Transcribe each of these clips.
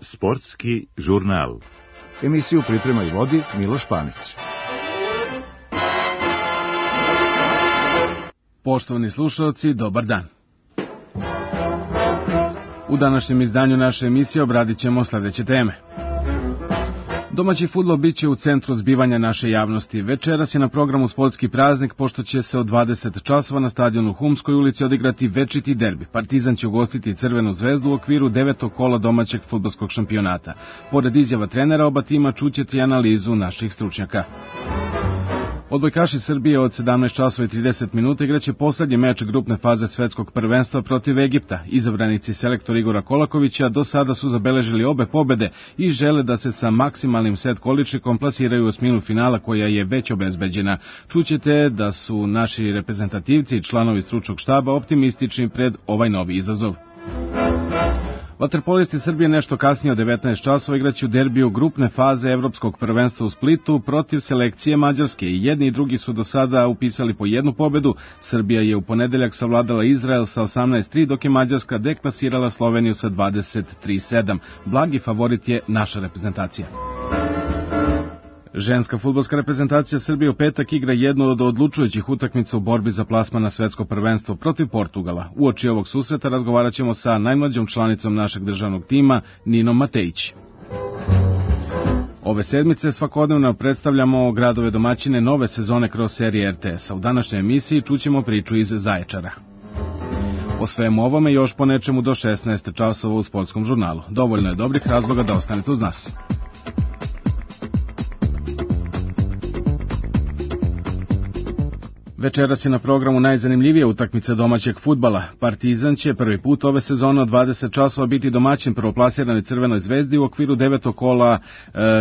Sportski žurnal. Emisiju priprema i vodi Miloš Panić. Poštovani slušalci, dobar dan. U današnjem izdanju naše emisije obradit ćemo sledeće teme. Domaći fudbal biće u centru zbivanja naše javnosti. Večeras je na programu sportski praznik, pošto će se od 20 časova na stadionu u Humskoj ulici odigrati večiti derbi. Partizan će ugostiti Crvenu zvezdu u okviru 9. kola domaćeg fudbalskog šampionata. Pored izjava trenera oba tima čućete i analizu naših stručnjaka. Odbojkaši Srbije od 17 časova i 30 minuta igraće poslednji meč grupne faze svetskog prvenstva protiv Egipta. Izabranici selektor Igora Kolakovića do sada su zabeležili obe pobede i žele da se sa maksimalnim set količikom plasiraju u osminu finala koja je već obezbeđena. Čućete da su naši reprezentativci i članovi stručnog štaba optimistični pred ovaj novi izazov. Vaterpolisti Srbije nešto kasnije od 19 časova igraće u derbiju grupne faze evropskog prvenstva u Splitu protiv selekcije Mađarske. I jedni i drugi su do sada upisali po jednu pobedu. Srbija je u ponedeljak savladala Izrael sa 18-3, dok je Mađarska deklasirala Sloveniju sa 23-7. Blagi favorit je naša reprezentacija. Ženska fudbalska reprezentacija Srbije u petak igra jednu od odlučujućih utakmica u borbi za plasman na svetsko prvenstvo protiv Portugala. Uoči ovog susreta razgovarat ćemo sa najmlađom članicom našeg državnog tima, Ninom Matejić. Ove sedmice svakodnevno predstavljamo gradove domaćine nove sezone kroz serije RTS-a. U današnjoj emisiji čućemo priču iz Zaječara. O svemu ovome još po nečemu do 16 časova u sportskom žurnalu. Dovoljno je dobrih razloga da ostanete uz nas. Večeras je na programu najzanimljivija utakmica domaćeg fudbala. Partizan će prvi put ove sezone od 20 časova biti domaćin prvoplasirane Crvenoj zvezdi u okviru 9. kola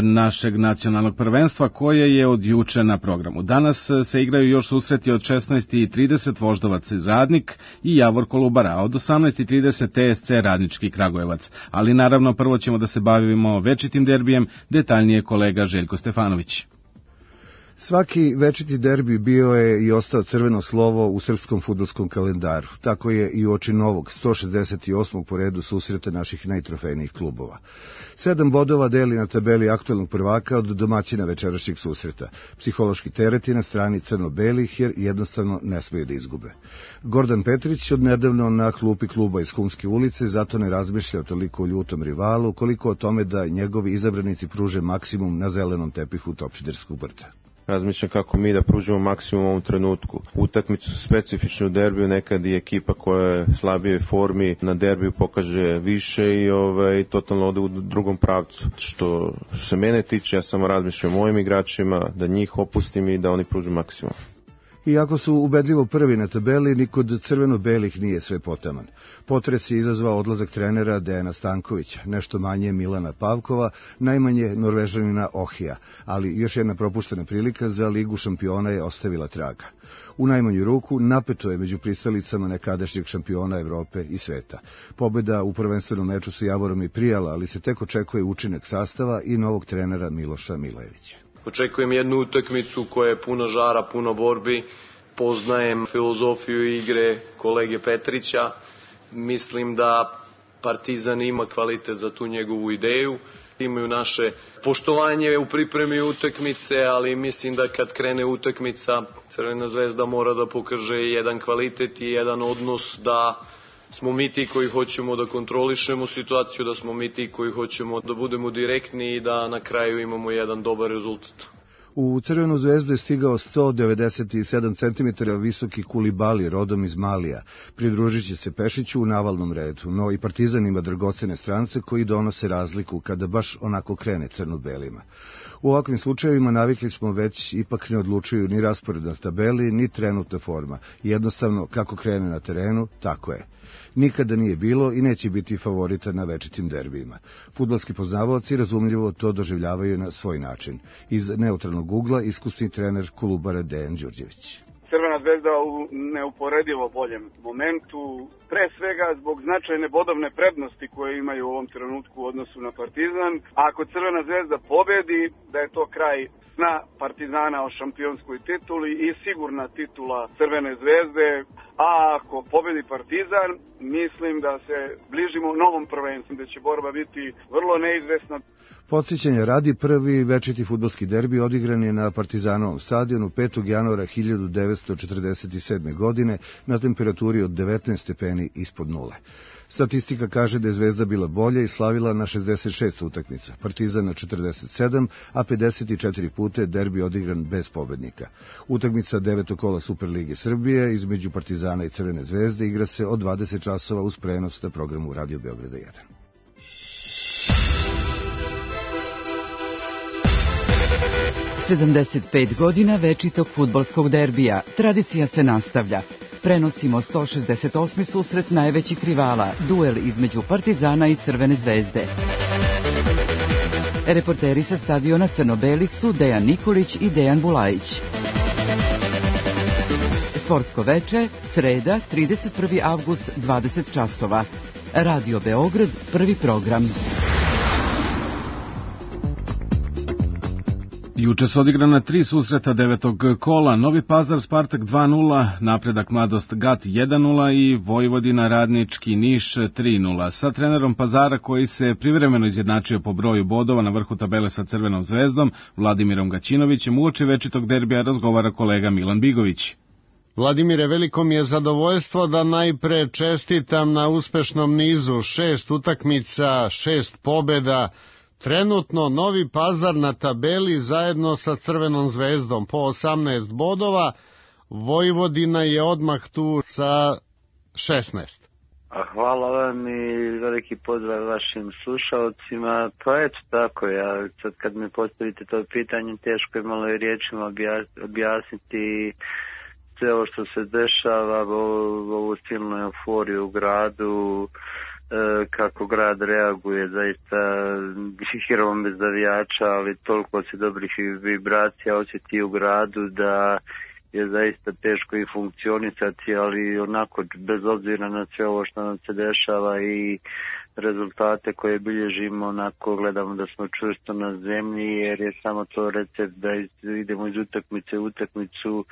našeg nacionalnog prvenstva koje je od juče na programu. Danas se igraju još susreti od 16:30 Voždovac Radnik i Javor Kolubara, a od 18:30 TSC Radnički Kragujevac. Ali naravno prvo ćemo da se bavimo večitim derbijem, detaljnije kolega Željko Stefanović. Svaki večiti derbi bio je i ostao crveno slovo u srpskom fudbalskom kalendaru. Tako je i uoči novog 168. po redu susreta naših najtrofejnijih klubova. 7 bodova deli na tabeli aktuelnog prvaka od domaćina večerašnjeg susreta. Psihološki teret je na strani crno-belih jer jednostavno ne smeju da izgube. Gordan Petrić odnedavno na klupi kluba iz Humske ulice zato ne razmišlja toliko o ljutom rivalu koliko o tome da njegovi izabranici pruže maksimum na zelenom tepihu Topčiderskog brda. Razmišljam kako mi da pružimo maksimum u ovom trenutku. Utakmicu su specifičnu u derbiju, nekad i ekipa koja je slabije formi na derbiju pokaže više i totalno ode u drugom pravcu. Što se mene tiče, ja samo razmišljam o mojim igračima, da njih opustim i da oni pruže maksimum. Iako su ubedljivo prvi na tabeli, ni kod crveno-belih nije sve potaman. Potres je izazvao odlazak trenera Dejana Stankovića, nešto manje Milana Pavkova, najmanje Norvežanina Ohija, ali još jedna propuštena prilika za Ligu šampiona je ostavila traga. U najmanju ruku napeto je među pristalicama nekadašnjeg šampiona Evrope i sveta. Pobeda u prvenstvenom meču sa Javorom je prijala, ali se tek očekuje učinak sastava i novog trenera Miloša Milevića. Očekujem jednu utakmicu koja je puno žara, puno borbi. Poznajem filozofiju igre kolege Petrića. Mislim da Partizan ima kvalitet za tu njegovu ideju. Imaju naše poštovanje u pripremi utakmice, ali mislim da kad krene utakmica, Crvena zvezda mora da pokaže jedan kvalitet i jedan odnos da smo mi ti koji hoćemo da kontrolišemo situaciju, da smo mi ti koji hoćemo da budemo direktni i da na kraju imamo jedan dobar rezultat. U Crvenu zvezdu je stigao 197 cm visoki Kulibali rodom iz Malija. Pridružit će se Pešiću u navalnom redu, no i Partizan ima dragocene strance koji donose razliku kada baš onako krene crno-belima. U ovakvim slučajevima navikli smo već ipak ne odlučuju ni raspored na tabeli, ni trenutna forma. Jednostavno, kako krene na terenu, tako je. Nikada nije bilo i neće biti favorita na večitim derbijima. Fudbalski poznavaoci razumljivo to doživljavaju na svoj način. Iz neutralnog ugla iskusni trener Kolubara Dejan Đurđević. Crvena zvezda u neuporedivo boljem momentu, pre svega zbog značajne bodovne prednosti koje imaju u ovom trenutku u odnosu na Partizan. A ako Crvena zvezda pobedi, da je to kraj sna Partizana o šampionskoj tituli i sigurna titula Crvene zvezde. a ako pobedi Partizan, mislim da se bližimo novom prvenstvu, da će borba biti vrlo neizvesna. Podsjećanja radi, prvi večiti fudbalski derbi odigran je na Partizanovom stadionu 5. januara 1947. godine na temperaturi od 19 stepeni ispod nule. Statistika kaže da je Zvezda bila bolja i slavila na 66 utakmica, Partizan na 47, a 54 puta je derbi odigran bez pobednika. Utakmica 9. kola Superlige Srbije između Partizana i Crvene zvezde igra se od 20 časova uz prenos na programu Radio Beograda 1. Sedamdeset godina večitog fudbalskog derbija. Tradicija se nastavlja. Prenosimo 168. susret najvećih rivala, duel između Partizana i Crvene zvezde. Reporteri sa stadiona Crno-belih su Dejan Nikolić i Dejan Bulajić. Sportsko veče, sreda, 31. avgust, 20 časova. Radio Beograd, prvi program. Juče su odigrana 3 susreta 9. kola, Novi Pazar Spartak 2-0, Napredak Mladost Gat 1-0 i Vojvodina Radnički Niš 3-0. Sa trenerom Pazara, koji se privremeno izjednačio po broju bodova na vrhu tabele sa Crvenom zvezdom, Vladimirom Gaćinovićem, uoči večitog derbija razgovara kolega Milan Bigović. Vladimire, veliko mi je zadovoljstvo da najpre čestitam na uspešnom nizu, 6 utakmica, 6 pobeda. Trenutno Novi Pazar na tabeli zajedno sa Crvenom zvezdom po 18 bodova, Vojvodina je odmah tu sa 16. Hvala vam i veliki pozdrav vašim slušalcima. Pa eto tako, ja sad kad mi postavite to pitanje, teško je malo i riječima objasniti sve ovo što se dešava, ovu silnu euforiju u gradu, kako grad reaguje, zaista igrom bez navijača, ali toliko se dobrih vibracija osjeti u gradu da je zaista teško i funkcionisati, ali onako bez obzira na sve ovo što nam se dešava i rezultate koje bilježimo, onako gledamo da smo čvrsto na zemlji, jer je samo to recept da idemo iz utakmice u utakmicu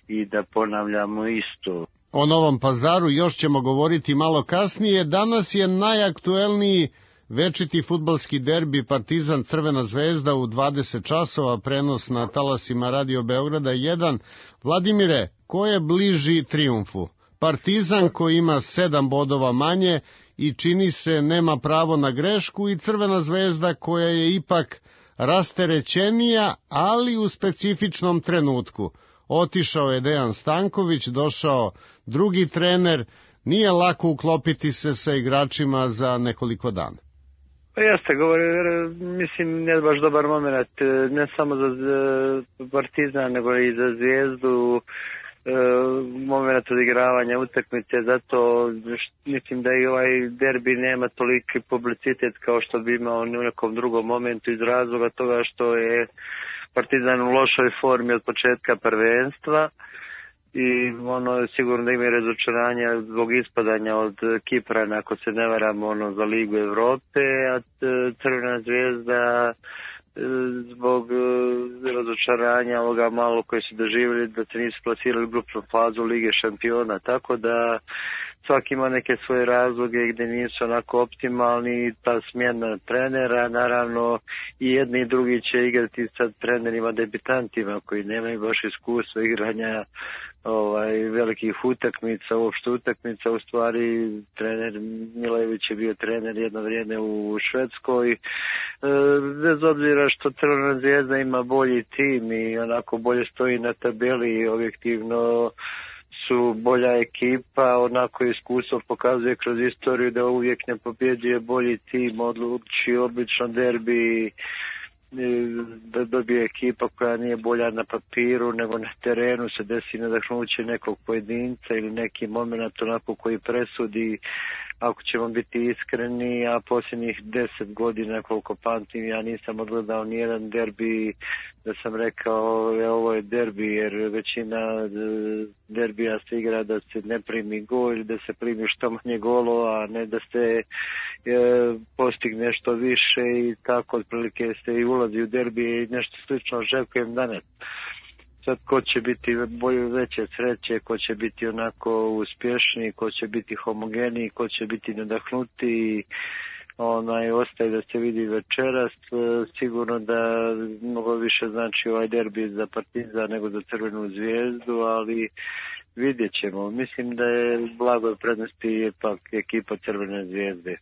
i da ponavljamo isto. O Novom Pazaru još ćemo govoriti malo kasnije. Danas je najaktuelniji večiti fudbalski derbi Partizan Crvena zvezda u 20 časova, prenos na talasima Radio Beograda 1. Vladimire, ko je bliži trijumfu? Partizan koji ima 7 bodova manje i čini se nema pravo na grešku, i Crvena zvezda koja je ipak rasterećenija, ali u specifičnom trenutku. Otišao je Dejan Stanković, došao drugi trener, nije lako uklopiti se sa igračima za nekoliko dana. Pa jeste, mislim, ne baš dobar moment, ne samo za Partizan, nego i za Zvijezdu, moment odigravanja utakmice, zato mislim da i ovaj derbi nema toliki publicitet kao što bi imao u nekom drugom momentu, iz razloga toga što je Partizan u lošoj formi od početka prvenstva i sigurno da ima razočaranja zbog ispadanja od Kiprana, ako se ne varamo, za Ligu Evrope, a Crvena zvezda zbog razočaranja ovoga malo koji su doživjeli da se nisu plasirali u grupnu fazu Lige šampiona, tako da svaki ima neke svoje razloge gdje nisu onako optimalni, ta smjena trenera, naravno i jedni i drugi će igrati sa trenerima debitantima koji nemaju baš iskustva igranja velikih utakmica, uopšte utakmica. U stvari trener Milević je bio trener jedno vrijeme u Švedskoj, bez obzira što Crvena zvezda ima bolji tim i onako bolje stoji na tabeli i objektivno su bolja ekipa, onako iskustvo pokazuje kroz istoriju da uvijek ne pobjeđuje bolji tim, odluči obično derbi da dobije ekipa koja nije bolja na papiru nego na terenu, se desi nadahnuće nekog pojedinca ili neki moment onako koji presudi. Ako ćemo biti iskreni, a posljednjih 10 godina koliko pamtim, ja nisam odgledao nijedan derbi da sam rekao ovo je derbi, jer većina derbija se igra da se ne primi gol ili da se primi što manje golova, a ne da se postigne što više, i tako otprilike se i ulazi u derbi i nešto slično očekujem danas. Sad ko će biti veće sreće, ko će biti onako uspješniji, ko će biti homogeniji, ko će biti nadahnutiji, ostaje da se vidi večeras. Sigurno da mnogo više znači ovaj derbi za Partizan nego za Crvenu Zvijezdu, ali vidjet ćemo. Mislim da je blagoj prednosti ipak ekipa Crvene Zvijezde.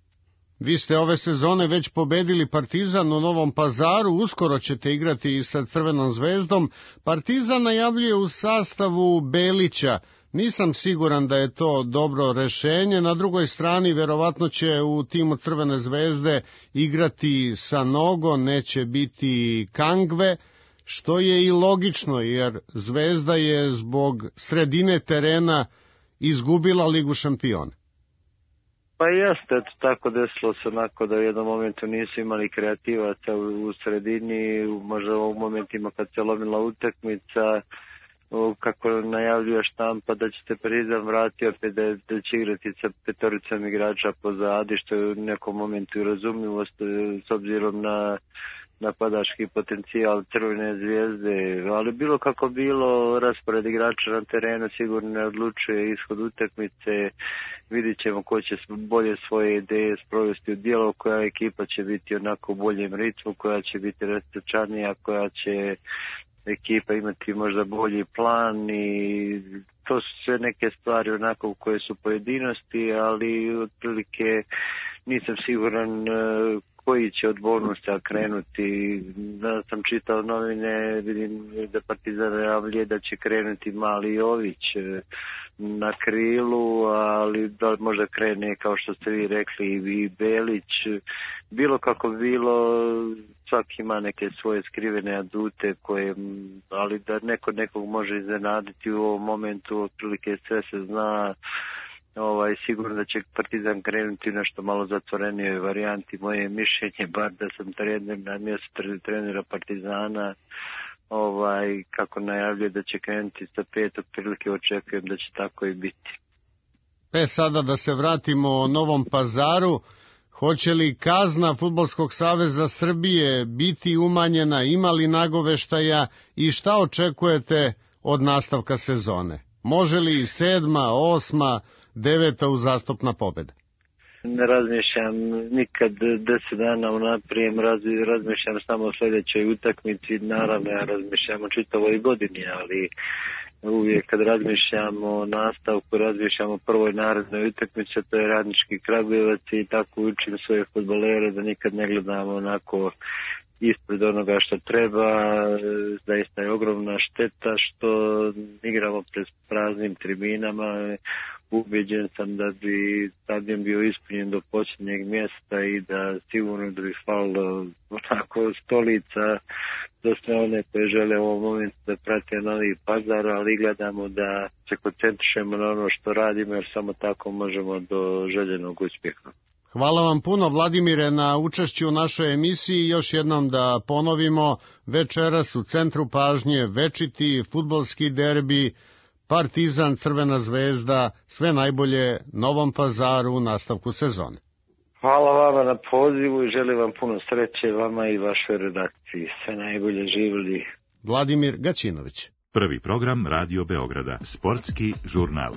Vi ste ove sezone već pobedili Partizan u Novom Pazaru, uskoro ćete igrati i sa Crvenom Zvezdom. Partizan najavljuje u sastavu Belića. Nisam siguran da je to dobro rešenje. Na drugoj strani, verovatno će u timu Crvene Zvezde igrati Sanogo, neće biti Kangve, što je i logično, jer Zvezda je zbog sredine terena izgubila Ligu šampiona. Pa jeste, tako desilo se onako da u jednom momentu nisu imali kreativaca u sredini, možda u momentima kad se lomila utakmica, kako najavljuje štampa da će se Partizan vratiti opet da će igrati sa petoricom igrača pozadi, što je u nekom momentu i razumljivost s obzirom na napadački potencijal Crvene Zvijezde, ali bilo kako bilo, raspored igrača na terenu sigurno ne odlučuje ishod utakmice. Vidjet ćemo ko će bolje svoje ideje sprovesti u djelo, koja ekipa će biti onako u boljem ritmu, koja će biti rastrčanija, koja će ekipa imati možda bolji plan, i to su sve neke stvari onako koje su pojedinosti, ali otprilike nisam siguran koji će od bonusa krenuti. Da sam čitao novine, vidim da Partizan najavljuje da će krenuti Mali Jović na krilu, ali da možda krene, kao što ste vi rekli, i Belić. Bilo kako bilo, svaki ima neke svoje skrivene adute, ali da nekog može iznenaditi u ovom momentu, otprilike sve se zna. Sigurno da će Partizan krenuti u nešto malo zatvorenijoj varijanti. Moje mišljenje, bar da sam trener na mjestu trenera Partizana, kako najavljuje da će krenuti sa 5, otprilike očekujem da će tako i biti. Sada da se vratimo Novom Pazaru, hoće li kazna Fudbalskog saveza Srbije biti umanjena, ima li nagoveštaja i šta očekujete od nastavka sezone? Može li 7., 8., 9. uzastopna pobjeda? Ne razmišljam nikad 10 dana unaprijed, razmišljam samo o sljedećoj utakmici. Naravno, ja razmišljam o čitavoj godini, ali uvijek kad razmišljam o nastavku, razmišljam o prvoj narednoj utakmici, to je Radnički Kragujevac, i tako učim svoje fudbalere da nikad ne gledamo onako ispred onoga što treba. Zaista je ogromna šteta što igramo pred praznim tribinama. Ubeđen sam da bi stadion bio ispunjen do posljednjeg mjesta i da sigurno da bi falilo onako stolica za sve one koje žele u ovom momentu da prate Novi Pazar, ali gledamo da se koncentrišemo na ono što radimo, jer samo tako možemo do željenog uspjeha. Hvala vam puno, Vladimire, na učešću u našoj emisiji. Još jednom da ponovimo, večeras u centru pažnje večiti fudbalski derbi Partizan Crvena Zvezda. Sve najbolje Novom Pazaru u nastavku sezone. Hvala vama na pozivu i želim vam puno sreće, vama i vašoj redakciji. Sve najbolje, živjeli. Vladimir Gaćinović. Prvi program Radio Beograda, sportski žurnal.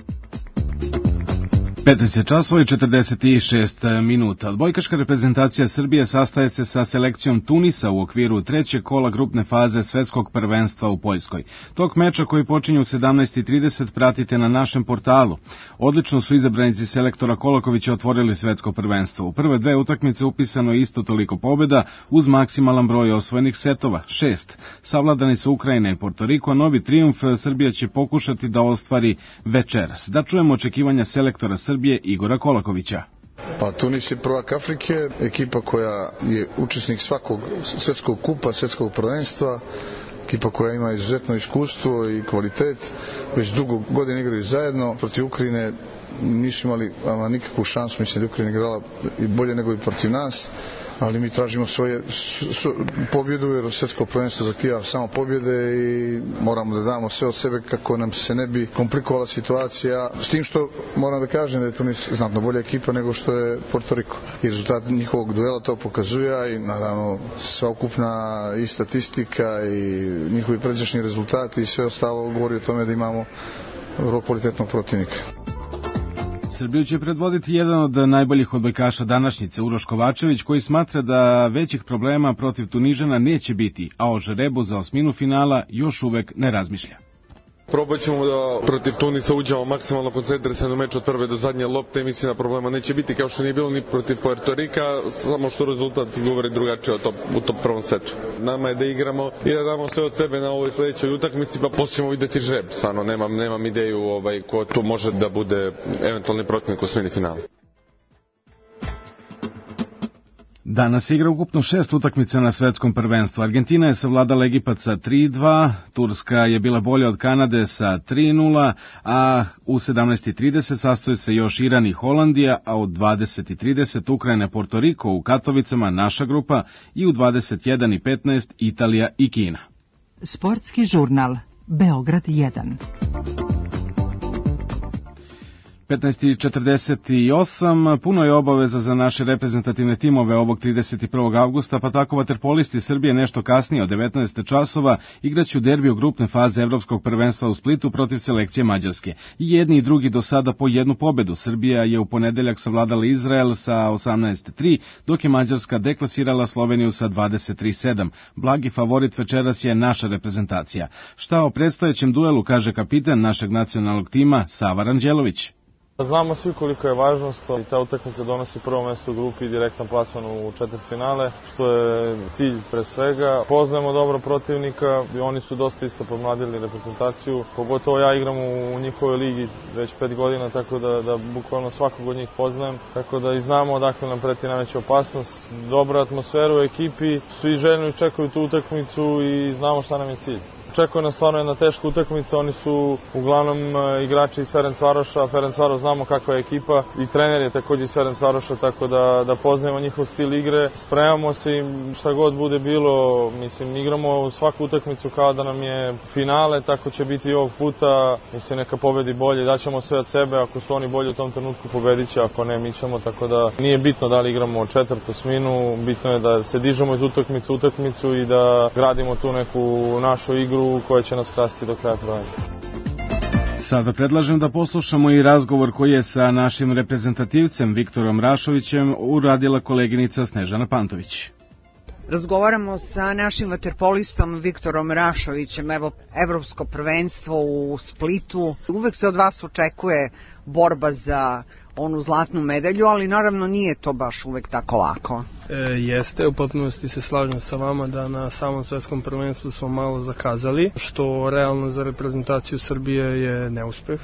15 časova i 46 minuta. Odbojkaška reprezentacija Srbije sastaje se sa selekcijom Tunisa u okviru trećeg kola grupne faze svetskog prvenstva u Poljskoj. Tok meča koji počinje u 17:30 pratite na našem portalu. Odlično su izabranici selektora Kolakovića otvorili svetsko prvenstvo. U prve dve utakmice upisano je isto toliko pobjeda uz maksimalan broj osvojenih setova, 6. Savladani su Ukrajina i Portoriko, a novi trijumf Srbija će pokušati da ostvari večeras. Da čujemo očekivanja selektora Srbije Igora Kolakovića. Pa Tunis je prvak Afrike, ekipa koja je učesnik svakog svetskog kupa, svetskog prvenstva, ekipa koja ima izuzetno iskustvo i kvalitet, već dugo godina igraju zajedno. Protiv Ukrajine nisu imali nikakvu šansu, mislim da Ukrajina igrala i bolje nego i protiv nas, ali mi tražimo pobjedu jer svjetsko prvenstvo zahtijeva samo pobjede i moramo da damo sve od sebe kako nam se ne bi komplikovala situacija, s tim što moram da kažem da je Tunis znatno bolja ekipa nego što je Porto Riko i rezultat njihovog duela to pokazuje i naravno sveukupna i statistika i njihovi pređašnji rezultati i sve ostalo govori o tome da imamo vrlo kvalitetnog protivnika. Srbiju će predvoditi jedan od najboljih odbojkaša današnjice, Uroš Kovačević, koji smatra da većih problema protiv Tunižana neće biti, a o žrebu za osminu finala još uvek ne razmišlja. Probat ćemo da protiv Tunisa uđemo maksimalno koncentrisani u meč od prve do zadnje lopte i mislim da problema neće biti kao što nije bilo ni protiv Puerto Rika, samo što rezultat govori drugačije u tom prvom setu. Nama je da igramo i da damo sve od sebe na ovoj sledećoj utakmici, pa poslije ćemo videti žreb. Stvarno nemam ideju ko tu može da bude eventualni protivnik u osmini finala. Danas igra ukupno 6 utakmica na svetskom prvenstvu. Argentina je savladala Egipat sa 3-2, Turska je bila bolja od Kanade sa 3-0, a u 17:30 sastoji se još Iran i Holandija, a u 20:30 Ukrajina, Porto Riko u Katovicama, naša grupa, i u 21:15 Italija i Kina. Sportski žurnal Beograd 1. 15:48, puno je obaveza za naše reprezentativne timove ovog 31. avgusta, pa tako vaterpolisti Srbije nešto kasnije od 19 časova igraću derbiju grupne faze Evropskog prvenstva u Splitu protiv selekcije Mađarske. I jedni i drugi do sada po jednu pobedu. Srbija je u ponedeljak savladala Izrael sa 18:3, dok je Mađarska deklasirala Sloveniju sa 23:7. Blagi favorit večeras je naša reprezentacija. Šta o predstojećem duelu kaže kapitan našeg nacionalnog tima Sava Ranđelović. Znamo svi koliko je važnost i ta utakmica donosi prvo mesto u grupi i direktan plasman u četvrtfinale, što je cilj pre svega. Poznajemo dobro protivnika i oni su dosta isto pomladili reprezentaciju. Pogotovo ja igram u njihovoj ligi već 5 godina, tako da bukvalno svakog od njih poznajem. Tako da i znamo odakle nam preti najveća opasnost. Dobra atmosfera u ekipi, svi željno iščekuju tu utakmicu i znamo šta nam je cilj. Očekuje nas stvarno jedna teška utakmica, oni su uglavnom igrači iz Ferencvaroša, Ferencvaroš znamo kakva je ekipa i trener je također iz Ferencvaroša, tako da poznajemo njihov stil igre, spremamo se i šta god bude bilo, mislim, igramo svaku utakmicu kao da nam je finale, tako će biti i ovog puta, mislim, neka pobedi bolje, daćemo sve od sebe, ako su oni bolji u tom trenutku pobedit će, ako ne, mi ćemo, tako da nije bitno da li igramo četvrtu osminu, bitno je da se dižemo iz utakmicu u utakmicu i da gradimo tu neku našu igru koja će nas krasti do kraja prvenstva. Sada predlažem da poslušamo i razgovor koji je sa našim reprezentativcem Viktorom Rašovićem uradila koleginica Snežana Pantović. Razgovaramo sa našim vaterpolistom Viktorom Rašovićem. Evo, evropsko prvenstvo u Splitu. Uvek se od vas očekuje borba za onu zlatnu medalju, ali naravno nije to baš uvek tako lako. Jeste, u potpunosti se slažem sa vama da na samom svetskom prvenstvu smo malo zakazali, što realno za reprezentaciju Srbije je neuspeh.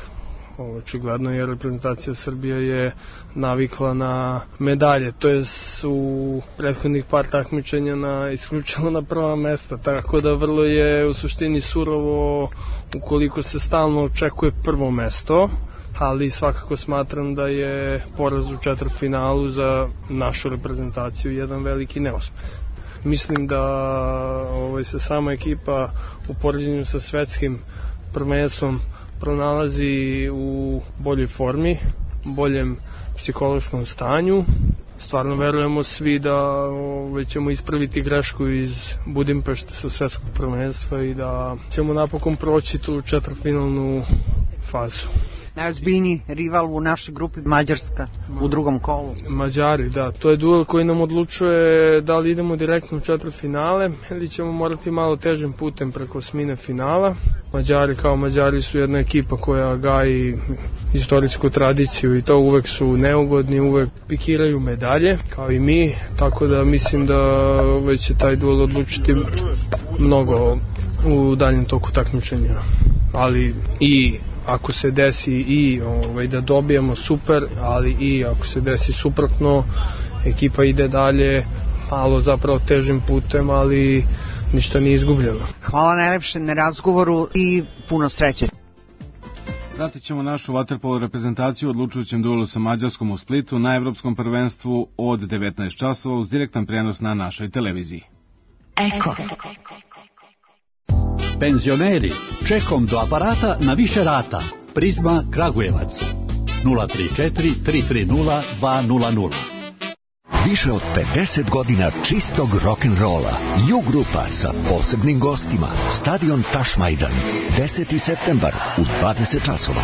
Očigledno je reprezentacija Srbije je navikla na medalje, to je u prethodnih par takmičenja isključilo na prva mesta, tako da vrlo je u suštini surovo ukoliko se stalno očekuje prvo mesto, ali svakako smatram da je poraz u četvrtfinalu za našu reprezentaciju jedan veliki neuspeh. Mislim da se sama ekipa u poređenju sa svetskim prvenstvom pronalazi u boljoj formi, boljem psihološkom stanju. Stvarno verujemo svi da ćemo ispraviti grešku iz Budimpešte sa svetskog prvenstva i da ćemo napokon proći tu četvrtfinalnu fazu. Najozbiljniji rival u našoj grupi Mađarska u drugom kolu. Mađari, da. To je duel koji nam odlučuje da li idemo direktno u četvrtfinale ili ćemo morati malo težim putem preko osmine finala. Mađari kao Mađari su jedna ekipa koja gaji istorijsku tradiciju i to uvek su neugodni, uvek pikiraju medalje kao i mi, tako da mislim da već će taj duel odlučiti mnogo u daljem toku takmičenja. Ali i ako se desi i da dobijemo super, ali i ako se desi suprotno, ekipa ide dalje, malo zapravo težim putem, ali ništa nije izgubljeno. Hvala najlepše na razgovoru i puno sreće. Pratit ćemo našu vaterpolo reprezentaciju u odlučujućem duelu sa Mađarskom u Splitu na Evropskom prvenstvu od 19 časova uz direktan prenos na našoj televiziji. Eko. Penzioneri, čekom do aparata na više rata. Prizma Kragujevac. 034 330 200. Više od 50 godina čistog rock'n'rolla. U-grupa sa posebnim gostima. Stadion Tašmajdan. 10. septembar u 20 časova.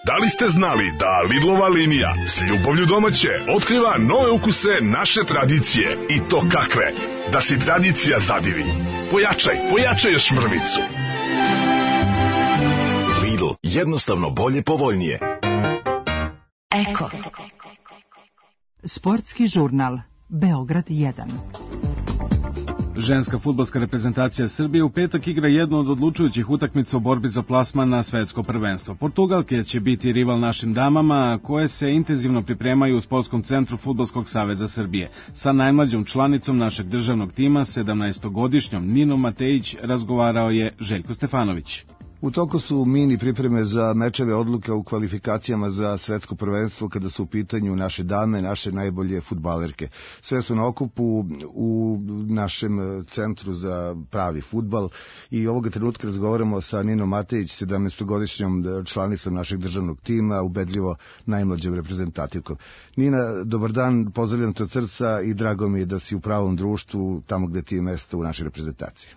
Da li ste znali da Lidlova linija s ljubavlju domaće otkriva nove ukuse naše tradicije? I to kakve? Da si tradicija zadivi. Pojačaj još mrvicu. Lidl, jednostavno bolje, povoljnije. Eko. Sportski žurnal Beograd 1. Ženska fudbalska reprezentacija Srbije u petak igra jednu od odlučujućih utakmica u borbi za plasman na svetsko prvenstvo. Portugalke će biti rival našim damama, koje se intenzivno pripremaju u Sportskom centru Fudbalskog saveza Srbije. Sa najmlađom članicom našeg državnog tima, 17-godišnjom Ninom Matejić, razgovarao je Željko Stefanović. U toku su mini pripreme za mečeve odluka u kvalifikacijama za svetsko prvenstvo kada su u pitanju naše dame, naše najbolje fudbalerke. Sve su na okupu u našem centru za pravi fudbal i ovoga trenutka razgovaramo sa Ninom Matejić, 17-godišnjom članicom našeg državnog tima, ubedljivo najmlađom reprezentativkom. Nina, dobar dan, pozdravljam te od srca i drago mi je da si u pravom društvu, tamo gde ti je mesto u našoj reprezentaciji.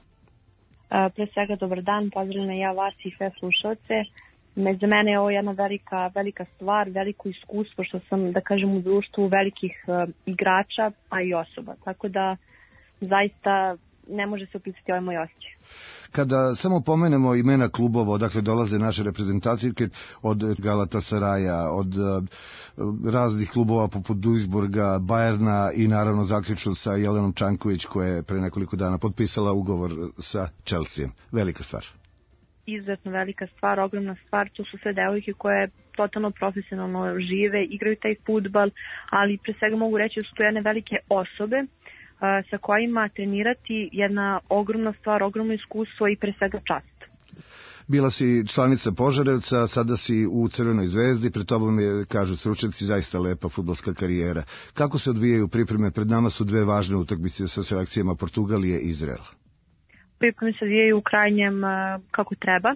Pre svega dobar dan, pozdravljam ja vas i sve slušalce. Za mene je ovo jedna velika stvar, veliko iskustvo što sam, da kažem, u društvu velikih igrača, a i osoba. Tako da zaista ne može se opisati ovaj moj osjećaj. Kada samo pomenemo imena klubova odakle dolaze naše reprezentativke, od Galatasaraja, od raznih klubova poput Duisburga, Bajerna i naravno zaključno sa Jelenom Čanković koja je pre nekoliko dana potpisala ugovor sa Chelseaom. Velika stvar. Izuzetno velika stvar, ogromna stvar. To su sve devojke koje totalno profesionalno žive, igraju taj fudbal, ali pre svega mogu reći da su to jedne velike osobe sa kojima trenirati jedna ogromna stvar, ogromno iskustvo i pre svega čast. Bila si članica Požarevca, sada si u Crvenoj zvezdi, pred tobom je, kažu stručnjaci, zaista lepa fudbalska karijera. Kako se odvijaju pripreme? Pred nama su dve važne utakmice sa selekcijama Portugalije i Izraela. Pripreme se odvijaju u krajnjem kako treba.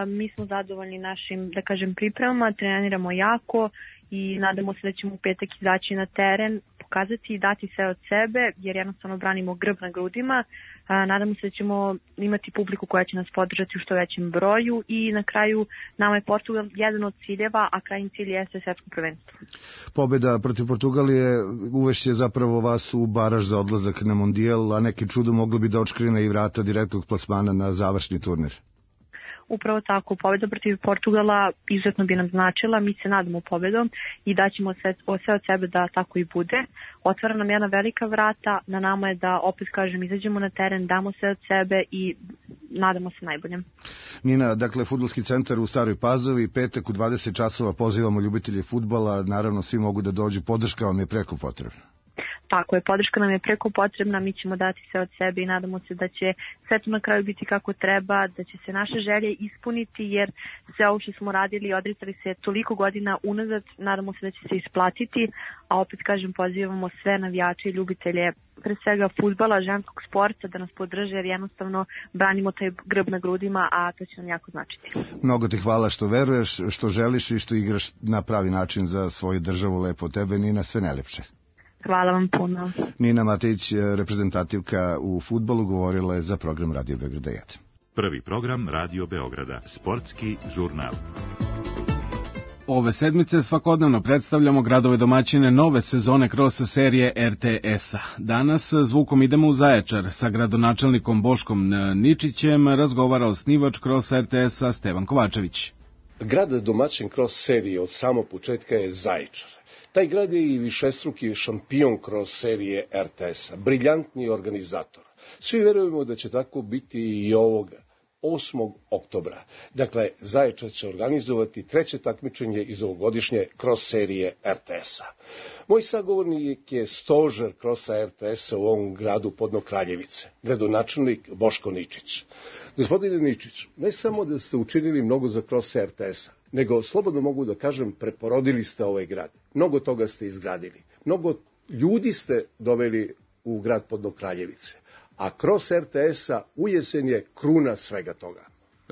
Mi smo zadovoljni našim, da kažem, pripremama, treniramo jako i nadamo se da ćemo u petak izaći na teren, pokazati i dati sve od sebe, jer jednostavno branimo grb na grudima. Nadamo se da ćemo imati publiku koja će nas podržati u što većem broju i na kraju nama je Portugal jedan od ciljeva, a krajnji cilj jeste svetsko prvenstvo. Pobjeda protiv Portugalije uvešće zapravo vas u baraž za odlazak na mondijal, a neki čudo moglo bi da odškrine i vrata direktnog plasmana na završni turnir. Upravo tako, pobjeda protiv Portugala izuzetno bi nam značila, mi se nadamo pobjedom i daćemo sve od sebe da tako i bude. Otvara nam jedna velika vrata, na nama je da, opet kažem, izađemo na teren, damo sve od sebe i nadamo se najboljem. Nina, dakle, fudbalski centar u Staroj Pazovi, petak u 20 časova pozivamo ljubitelje fudbala, naravno svi mogu da dođu, podrška vam je preko potrebna. Tako je, podrška nam je preko potrebna, mi ćemo dati sve od sebe i nadamo se da će sve to na kraju biti kako treba, da će se naše želje ispuniti, jer sve ovo što smo radili i odricali se toliko godina unazad, nadamo se da će se isplatiti, a opet kažem, pozivamo sve navijače i ljubitelje pre svega fudbala, ženskog sporta da nas podrže, jer jednostavno branimo taj grb na grudima, a to će nam jako značiti. Mnogo ti hvala što veruješ, što želiš i što igraš na pravi način za svoju državu. Lepo tebe, Nina, sve najlepše. Hvala vam puno. Nina Matejić, reprezentativka u fudbalu, govorila je za program Radio Beograda 1. Prvi program Radio Beograda, sportski žurnal. Ove sedmice svakodnevno predstavljamo gradove domaćine nove sezone cross serije RTS-a. Danas zvukom idemo u Zaječar. Sa gradonačelnikom Boškom Ničićem razgovara osnivač cross RTS-a Stevan Kovačević. Grad domaćin cross serije od samog početka je Zaječar. Taj grad je i višestruki šampion kroz serije RTS-a, briljantni organizator. Svi verujemo da će tako biti i ovoga. 8. oktobra. Dakle, Zaječar će organizovati treće takmičenje iz ovogodišnje cross serije RTS-a. Moj sagovornik je stožer krosa RTS-a u ovom gradu Podno Kraljevice, gradonačelnik Boško Ničić. Gospodine Ničić, ne samo da ste učinili mnogo za cross RTS-a, nego, slobodno mogu da kažem, preporodili ste ovaj grad. Mnogo toga ste izgradili. Mnogo ljudi ste doveli u grad Podno Kraljevice. A cross RTS-a u jesen je kruna svega toga.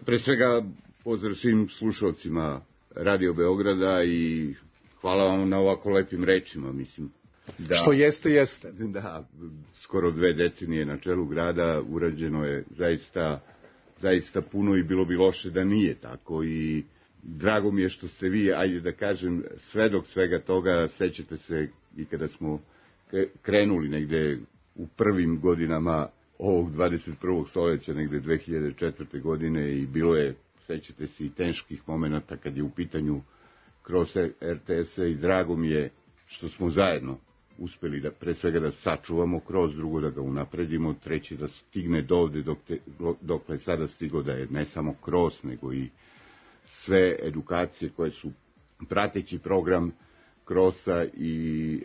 Pre svega pozdrav svim slušalcima Radio Beograda i hvala vam na ovako lepim rečima, mislim. Da, što jeste, jeste. Da, skoro 2 decenije na čelu grada urađeno je zaista puno i bilo bi loše da nije tako i drago mi je što ste vi, ajde da kažem, svedok svega toga. Sećate se i kada smo krenuli negde u prvim godinama ovog 21. stoljeća, negde 2004. godine i bilo je, sećate se, i teških momenata kad je u pitanju kroz RTS-a i drago mi je što smo zajedno uspeli da pre svega da sačuvamo kroz, drugo da ga unapredimo, treći da stigne dovde dokle sada stigo, da je ne samo kroz, nego i sve edukacije koje su prateći program krosa i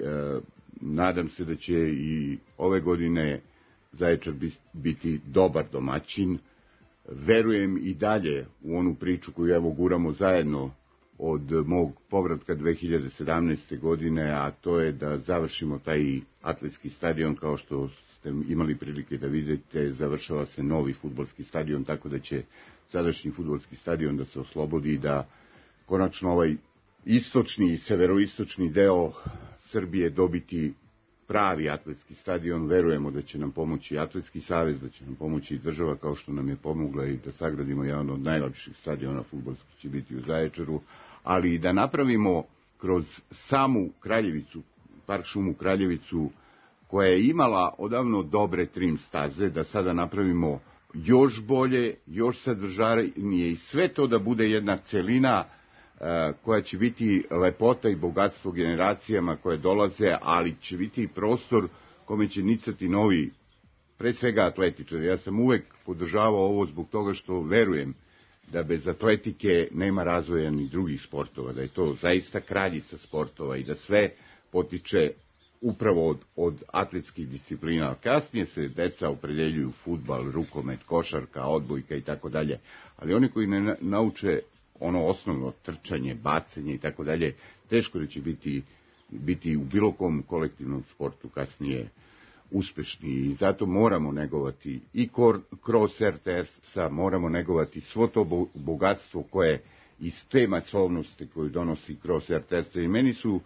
nadam se da će i ove godine Zaječar biti dobar domaćin. Verujem i dalje u onu priču koju evo guramo zajedno od mog povratka 2017. godine, a to je da završimo taj atletski stadion. Kao što ste imali prilike da vidite, završava se novi fudbalski stadion, tako da će sadašnji fudbalski stadion da se oslobodi i da konačno ovaj istočni i severoistočni deo Srbije dobiti pravi atletski stadion. Verujemo da će nam pomoći Atletski savez, da će nam pomoći i država, kao što nam je pomogla i da sagradimo jedan od najlepših stadiona fudbalskih će biti u Zaječaru, ali i da napravimo kroz samu Kraljevicu, park šumu Kraljevicu, koja je imala odavno dobre trim staze, da sada napravimo još bolje, još sadržajnije i sve to da bude jedna celina koja će biti lepota i bogatstvo generacijama koje dolaze, ali će biti i prostor kome će nicati novi, pre svega atletičari. Ja sam uvek podržavao ovo zbog toga što verujem da bez atletike nema razvoja ni drugih sportova, da je to zaista kraljica sportova i da sve potiče upravo od atletskih disciplina. Kasnije se deca opredeljuju fudbal, rukomet, košarka, odbojka i tako dalje, ali oni koji ne nauče ono osnovno trčanje, bacanje i tako dalje, teško da će biti u bilo kom kolektivnom sportu kasnije uspešni i zato moramo negovati i kroz RTS-a, moramo negovati svo to bogatstvo koje iz te masovnosti koju donosi kroz RTS-a i meni su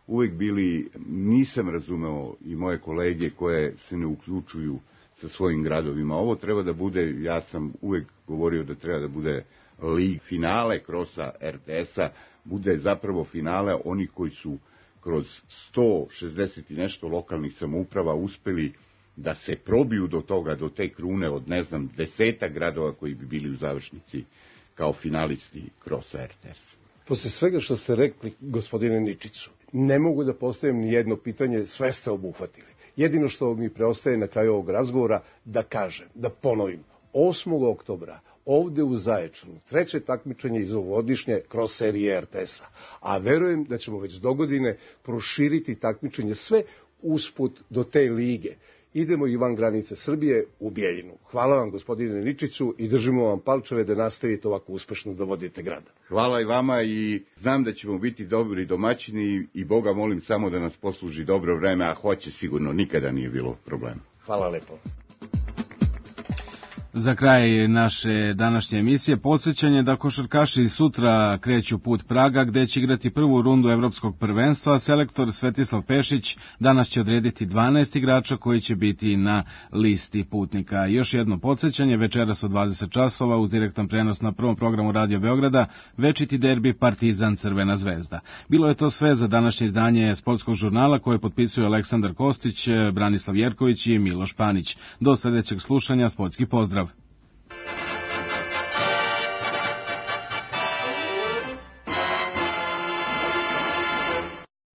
uvek bili, nisam razumeo i moje kolege koje se ne uključuju sa svojim gradovima. Ovo treba da bude, ja sam uvek govorio da treba da bude lig finale krosa RTS-a, bude zapravo finale oni koji su kroz 160 i nešto lokalnih samouprava uspeli da se probiju do toga, do te krune od, ne znam, 10 gradova koji bi bili u završnici kao finalisti krosa RTS. Posle svega što ste rekli, gospodine Ničiću, ne mogu da postavim ni jedno pitanje, sve ste obuhvatili. Jedino što mi preostaje na kraju ovog razgovora da kažem, da ponovim, 8. oktobra ovde u Zaječaru treće takmičenje iz ovogodišnje kroz serije RTS-a, a verujem da ćemo već dogodine proširiti takmičenje sve usput do te lige. Idemo i van granice Srbije u Bijeljinu. Hvala vam, gospodine Ničiću, i držimo vam palčeve da nastavite ovako uspešno da vodite grad. Hvala i vama i znam da ćemo biti dobri domaćini i Boga molim samo da nas posluži dobro vreme, a hoće sigurno, nikada nije bilo problema. Hvala lepo. Za kraj naše današnje emisije podsjećanje da košarkaši sutra kreću put Praga gde će igrati prvu rundu evropskog prvenstva. Selektor Svetislav Pešić danas će odrediti 12 igrača koji će biti na listi putnika. Još jedno podsjećanje, večeras od 20 časova uz direktan prenos na prvom programu Radio Beograda večiti derbi Partizan Crvena zvezda. Bilo je to sve za današnje izdanje sportskog žurnala koje potpisuju Aleksandar Kostić, Branislav Jerković i Miloš Panić. Do sledećeg slušanja, sportski pozdrav.